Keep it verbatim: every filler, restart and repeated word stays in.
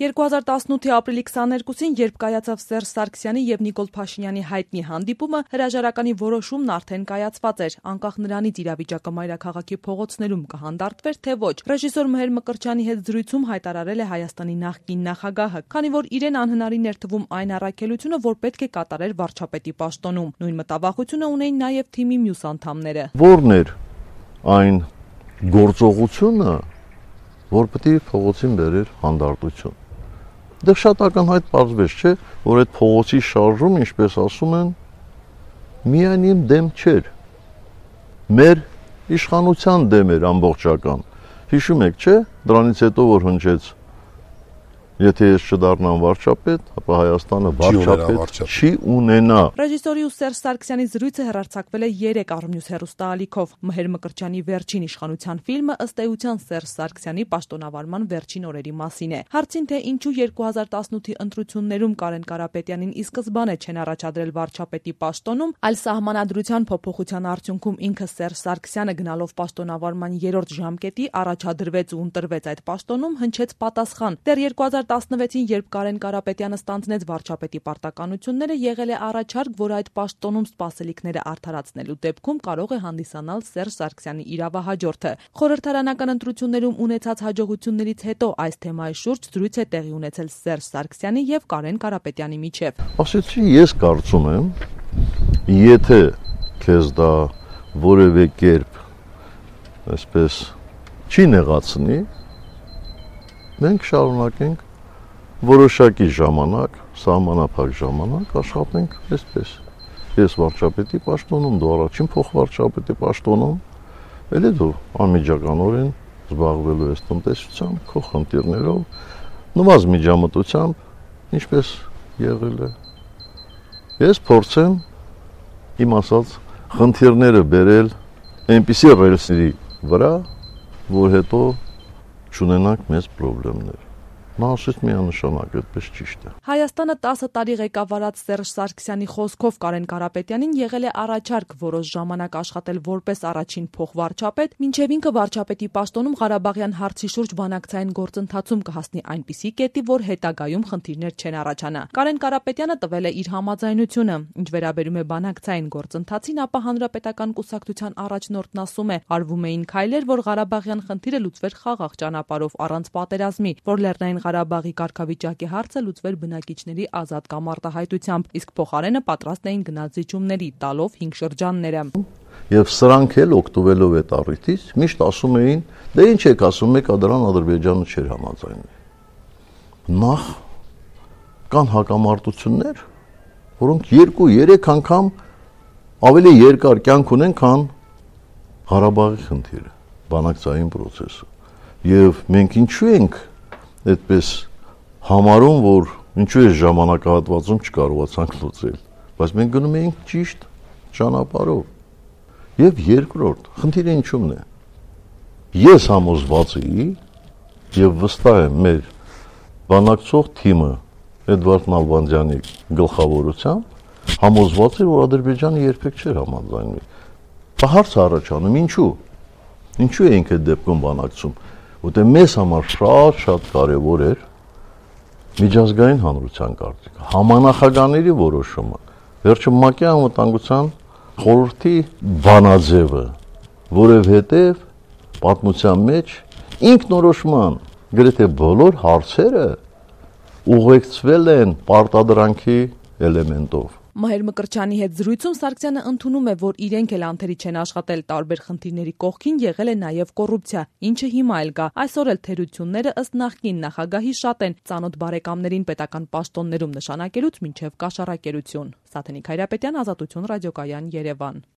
երկու հազար տասնութի ապրիլի քսաներկուսին, երբ կայացավ Սերժ Սարգսյանի եւ Նիկոլ Փաշինյանի հայտնի հանդիպումը, հրաժարականի որոշումն արդեն կայացված էր, անկախ նրանից իրավիճակը մայրաքաղաքի փողոցներում կհանդարտվեր, թե ոչ։ Ռեժիսոր Մհեր Մկրտչյանի հետ զրույցում հայտարարել է Հայաստանի նախկին նախագահը, քանի որ իրեն անհնարին էր թվում այն առաքելությունը, որ պետք է կատարեր վարչապետի պաշտոնում։ Նույն մտավախությունը ունեին նաեւ թիմի մյուս անդամները։ Որն էր այն գործողությունը, որ պետք է փողոցին բերեր հանդարտություն։ Դե շատ ակնհայտ պարզվեց, չէ, որ այդ փողոցի շարժում, ինչպես ասում են, միայն իմ դեմ չէր։ Մեր իշխանության դեմ էր ամբողջական։ Հիշում եք, չէ, դրանից հետո որ հնչեց, եթե ես չդառնամ վարչապետ, ապա Հայաստանը վարչապետ չի ունենա։ Ռեժիսորի ու Սերժ Սարգսյանի զրույցը հեռարձակվել է երեք առմյուս հեռուստաալիքով։ Մհեր Մկրտչյանի վերջին իշխանության ֆիլմը ըստ էության Սերժ Սարգսյանի պաշտոնավարման վերջին օրերի մասին է։ Հարցին, թե ինչու երկու հազար տասնութի ընտրություններում Կարեն Կարապետյանին ի սկզբանե չեն առաջադրել վարչապետի պաշտոնում, այլ սահմանադրության փոփոխության արդյունքում ինքը Սերժ Սարգսյանը գնալով պաշտոնավարման երրորդ ժամկետի առաջադրվեց ու ընտրվեց այդ պաշտոնում, հնչեց պատասխան։ Դեռ երկու հազար տասնվեցին, երբ Կարեն Կարապետյանը ստանձնեց վարչապետի պարտականությունները, եղել է առաջարկ, որ այդ պաշտոնում սպասելիքները արդարացնելու դեպքում կարող է հանդիսանալ Սերժ Սարգսյանի իրավահաջորդը։ Խորհրդարանական ընտրություններում ունեցած հաջողություններից հետո այս թեմայի շուրջ զրույց է տեղի ունեցել Սերժ Սարգսյանի եւ Կարեն Կարապետյանի միջեւ։ Ասեցի, ես կարծում եմ, եթե քեզ դա որևէ կերպ այսպես չի նեղացնի, մենք շարունակենք որոշակի ժամանակ, սահմանափակ ժամանակ աշխատենք այսպես։ Ես վարչապետի պաշտոնում, դու առաջին փոխվարչապետի պաշտոնում, էլի դու անմիջականորեն զբաղվելու ես տնտեսությամբ, քո խնդիրներով, նվազ միջամտությամբ, ինչպես եղել է։ Ես փորձեմ իմ ասած խնդիրները բերել այնպիսի ռելսերի վրա, որ հետո չունենանք մեծ խնդիրներ։ Նա ասեց միանշանակ, այդպես ճիշտ է։ Հայաստանը տասը տարի ղեկավարած Սերժ Սարգսյանի խոսքով Կարեն Կարապետյանին եղել է առաջարկ որոշ ժամանակ աշխատել որպես առաջին փոխվարչապետ, մինչև ինքը վարչապետի պաշտոնում Ղարաբաղյան հարցի շուրջ բանակցային գործընթացում կհասնի այնպիսի կետի, որ հետագայում խնդիրներ չեն առաջանա։ Կարեն Կարապետյանը տվել է իր համաձայնությունը։ Ինչ վերաբերում է բանակցային գործընթացին, ապա հանրապետական կուսակցության առաջնորդն ասում է, արվում էին քայլեր, որ Ղարաբաղյան խնդիրը լուծվեր խաղաղ ճանապարհով առանց պատերազմի, որ Լեռնային Ղարաբաղի կարգավիճակի հարցը լուծվեր բնակիչների ազատ կամ արտահայտությամբ, իսկ փոխարենը պատրաստ էին գնալ զիջումների, տալով հինգ շրջանները։ Եվ սրանք էլ օգտվելով այդ առիթից միշտ ասում էին, դե ինչ եք ասում, եկա դրան Ադրբեջանը չէր համաձայնվի։ Նախ կան հակամարտություններ, որոնք երկու-երեք անգամ ավելի երկար կյանք ունեն, քան Ղարաբաղի խնդիրը, բանակցային process-ը։ Եվ մենք ինչու ենք այդպես համարում, որ ինչու է ժամանակահատվածում չկարողացանք լուծել, բայց մենք գնում էինք ճիշտ ճանապարհով։ Եվ երկրորդ, խնդիրը ինչու՞մն է։ Ես համոզված էի եւ վստահ եմ մեր բանակցող թիմը Էդվարդ Նալբանդյանի գլխավորությամբ համոզված էր, որ Ադրբեջանը երբեք չէր համաձայնվի։ Հարց առաջանում, ինչու։ Ինչու էինք այդ դեպքում բանակցում։ Որտեղ մեզ համար շատ-շատ կարևոր էր միջազգային հանրության կարծիքը, համանախագահների որոշումը, վերջը ՄԱԿ-ի անվտանգության խորհրդի բանաձևը, որովհետև պատմության մեջ ինքնորոշման գրեթե բոլոր հարցերը ուղեկցվել են պարտադրանքի էլեմենտով։ Մհեր Մկրտչյանի հետ զրույցում Սարգսյանը ընդունում է, որ իրենք էլ անթերի չեն աշխատել տարբեր խնդիրների կողքին, եղել է նաև կոռուպցիա, ինչը հիմա էլ կա։ Այսօր էլ թերությունները ըստ նախկին նախագահի շատ են, ծանոթ բարեկամներին պետական պաշտոններում նշանակելուց մինչև կաշառակերություն։ Սաթենիկ Հայրապետյան, Ազատություն ռադիոկայան, Երևան։